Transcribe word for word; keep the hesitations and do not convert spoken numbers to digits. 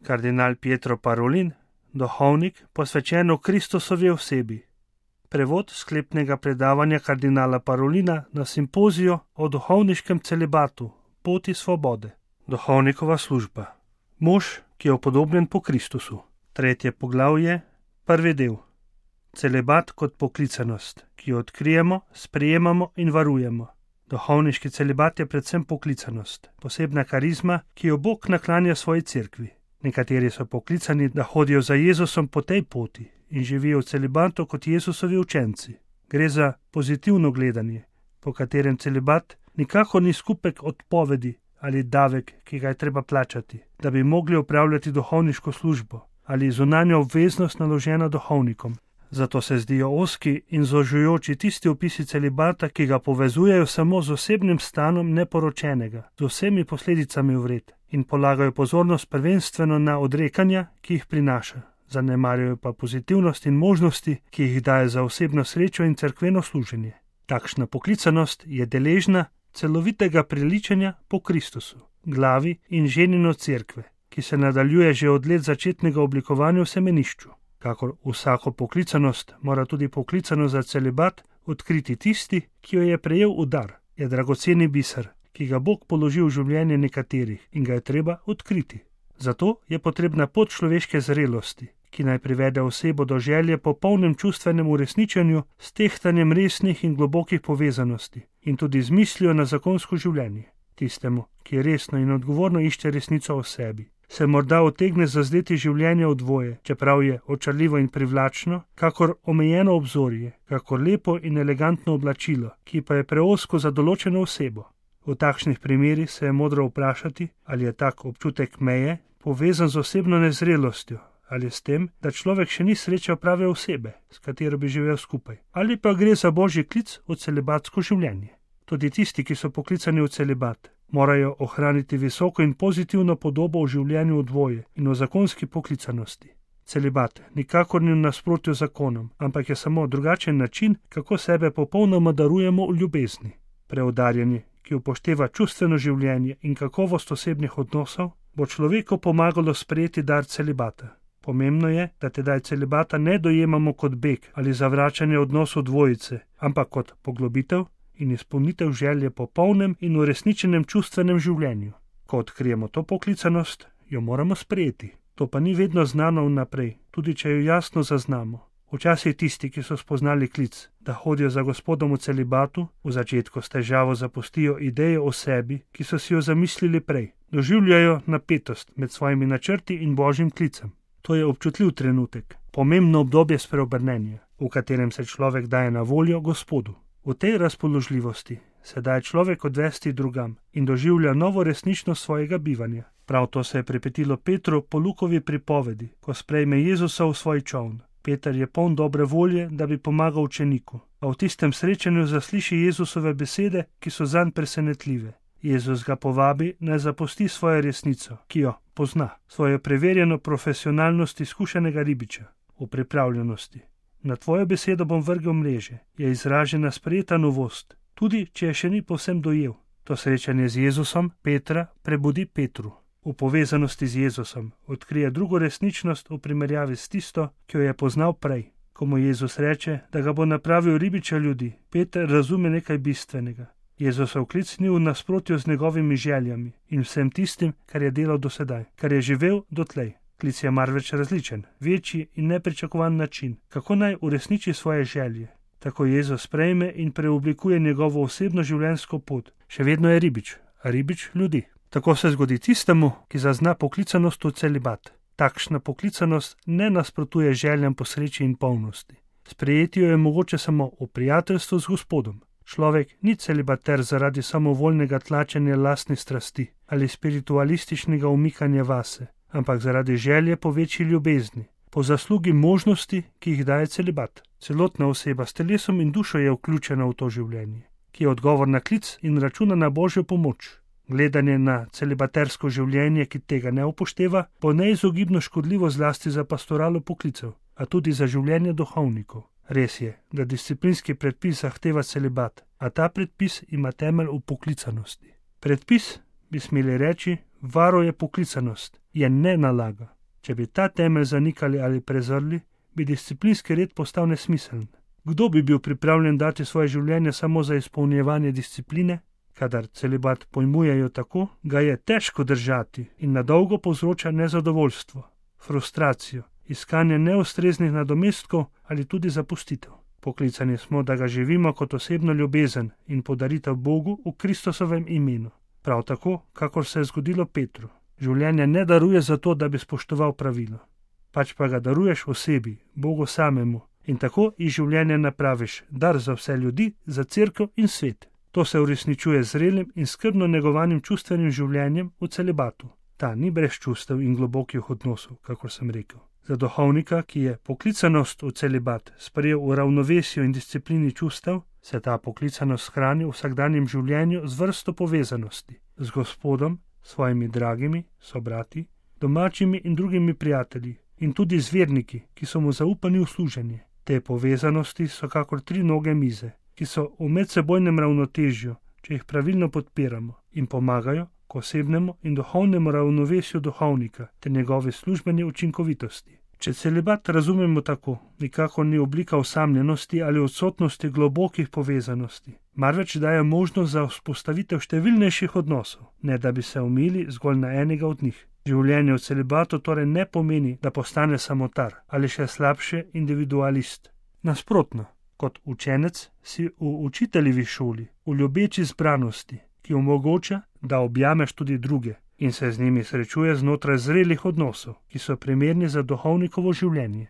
Kardinal Pietro Parolin, duhovnik, posvečen o Kristusovi osebi. Prevod sklepnega predavanja kardinala Parolina na simpoziju o duhovniškem celibatu, poti svobode. Duhovnikova služba. Mož, ki je upodobljen po Kristusu. Tretje poglavje, prvi del. Celibat kot poklicanost, ki jo odkrijemo, sprejemamo in varujemo. Duhovniški celibat je predvsem poklicanost, posebna karizma, ki jo Bog naklanja svoji cerkvi. Nekateri so poklicani, da hodijo za Jezusom po tej poti in živijo v celibatu kot Jezusovi učenci. Gre za pozitivno gledanje, po katerem celibat nikakor ni skupek odpovedi ali davek, ki ga je treba plačati, da bi mogli opravljati duhovniško službo ali zunanjo obveznost naložena duhovnikom. Zato se zdijo ozki in zožujoči tisti opisi celibata, ki ga povezujejo samo z osebnim stanom neporočenega, z vsemi posledicami vred in polagajo pozornost prvenstveno na odrekanja, ki jih prinaša, zanemarjajo pa pozitivnost in možnosti, ki jih daje za osebno srečo in cerkveno služenje. Takšna poklicanost je deležna celovitega priličenja po Kristusu, glavi in ženino cerkve, ki se nadaljuje že od let začetnega oblikovanja v semenišču. Kakor vsako poklicanost mora tudi poklicanost za celibat odkriti tisti, ki jo je prejel v dar, je dragoceni biser, ki ga Bog položi v življenje nekaterih in ga je treba odkriti. Zato je potrebna pot človeške zrelosti, ki naj privede osebo do želje po polnem čustvenem uresničenju s tehtanjem resnih in globokih povezanosti in tudi z mislijo na zakonsko življenje. Tistemu, ki resno in odgovorno išče resnico o sebi, se morda utegne zazdeti življenje v dvoje, čeprav je očarljivo in privlačno, kakor omejeno obzorje, kakor lepo in elegantno oblačilo, ki pa je preozko za določeno osebo. V takšnih primerih se je modro vprašati, ali je tak občutek meje povezan z osebno nezrelostjo, ali s tem, da človek še ni srečal prave osebe, s katero bi živel skupaj, ali pa gre za božji klic v celibatsko življenje. Tudi tisti, ki so poklicani v celibat, morajo ohraniti visoko in pozitivno podobo v življenju v dvoje in v zakonski poklicanosti. Celibat nikakor ni v nasprotju z zakonom, ampak je samo drugačen način, kako sebe popolnoma darujemo v ljubezni. Preudarjanje, ki upošteva čustveno življenje in kakovost osebnih odnosov, bo človeku pomagalo sprejeti dar celibata. Pomembno je, da tedaj celibata ne dojemamo kot beg ali zavračanje odnosov dvojice, ampak kot poglobitev in izpolnitev želje po polnem in uresničenem čustvenem življenju. Ko odkrijemo to poklicanost, jo moramo sprejeti. To pa ni vedno znano vnaprej, tudi če jo jasno zaznamo. Včasih tisti, ki so spoznali klic, da hodijo za Gospodom v celibatu, v začetku s težavo zapustijo idejo o sebi, ki so si jo zamislili prej. Doživljajo napetost med svojimi načrti in božjim klicem. To je občutljiv trenutek, pomembno obdobje spreobrnenja, v katerem se človek daje na voljo Gospodu. V tej razpoložljivosti se daje človek odvesti drugam in doživlja novo resničnost svojega bivanja. Prav to se je pripetilo Petru po Lukovi pripovedi, ko sprejme Jezusa v svoj čoln. Peter je poln dobre volje, da bi pomagal učeniku, a v tistem srečanju zasliši Jezusove besede, ki so zanj presenetljive. Jezus ga povabi, naj zapusti svojo resnico, ki jo pozna, svojo preverjeno profesionalnost izkušenega ribiča, v pripravljenosti. Na tvojo besedo bom vrgel mreže, je izražena sprejeta novost, tudi če je še ni povsem dojel. To srečanje z Jezusom Petra prebudi Petru. V povezanosti z Jezusom odkrije drugo resničnost v primerjavi s tisto, ki jo je poznal prej. Ko mu Jezus reče, da ga bo napravil ribiča ljudi, Peter razume nekaj bistvenega. Jezusov klic ni v nasprotju z njegovimi željami in vsem tistim, kar je delal do sedaj, kar je živel dotlej. Klic je marveč različen, večji in nepričakovan način, kako naj uresniči svoje želje. Tako Jezus sprejme in preoblikuje njegovo osebno življenjsko pot. Še vedno je ribič, a ribič ljudi. Tako se zgodi tistemu, ki zazna poklicanost v celibat. Takšna poklicanost ne nasprotuje željam po sreči in polnosti. Sprejeti jo je mogoče samo v prijateljstvu z Gospodom. Človek ni celibater zaradi samovoljnega tlačenja lastnih strasti ali spiritualističnega umikanja vase, ampak zaradi želje po večji ljubezni, po zaslugi možnosti, ki jih daje celibat. Celotna oseba s telesom in dušo je vključena v to življenje, ki je odgovor na klic in računa na božjo pomoč. Gledanje na celibatersko življenje, ki tega ne upošteva, bo neizogibno škodljivo zlasti za pastoralo poklicev, a tudi za življenje duhovnikov. Res je, da disciplinski predpis zahteva celibat, a ta predpis ima temelj v poklicanosti. Predpis, bi smeli reči, varuje poklicanost, je ne nalaga. Če bi ta temelj zanikali ali prezrli, bi disciplinski red postal nesmiseln. Kdo bi bil pripravljen dati svoje življenje samo za izpolnjevanje discipline? Kadar celibat pojmujejo tako, ga je težko držati in nadolgo povzroča nezadovoljstvo, frustracijo, iskanje neustreznih nadomestkov ali tudi zapustitev. Poklicani smo, da ga živimo kot osebno ljubezen in podaritev Bogu v Kristusovem imenu. Prav tako, kakor se je zgodilo Petru. Življenje ne daruje zato, da bi spoštoval pravilo. Pač pa ga daruješ osebi, Bogu samemu, in tako iz življenja napraviš dar za vse ljudi, za cerkev in svet. To se uresničuje z zrelim in skrbno negovanim čustvenim življenjem v celibatu. Ta ni brez čustev in globokih odnosov, kakor sem rekel. Za duhovnika, ki je poklicanost v celibat sprejel v ravnovesju in disciplini čustev, se ta poklicanost hrani v vsakdanjem življenju z vrsto povezanosti, z Gospodom, svojimi dragimi, sobrati, domačimi in drugimi prijatelji in tudi z verniki, ki so mu zaupani v služenje. Te povezanosti so kakor tri noge mize, ki so v medsebojnem ravnotežju, če jih pravilno podpiramo in pomagajo k osebnemu in duhovnemu ravnovesju duhovnika ter njegovi službeni učinkovitosti. Če celibat razumemo tako, nikakor ni oblika osamljenosti ali odsotnosti globokih povezanosti, marveč daje možnost za vzpostavitev številnejših odnosov, ne da bi se omili zgolj na enega od njih. Življenje v celibatu torej ne pomeni, da postane samotar ali še slabše individualist. Nasprotno, kot učenec si v učiteljevi šoli, v ljubeči zbranosti, ki omogoča, da objameš tudi druge in se z njimi srečuje znotraj zrelih odnosov, ki so primerni za duhovnikovo življenje.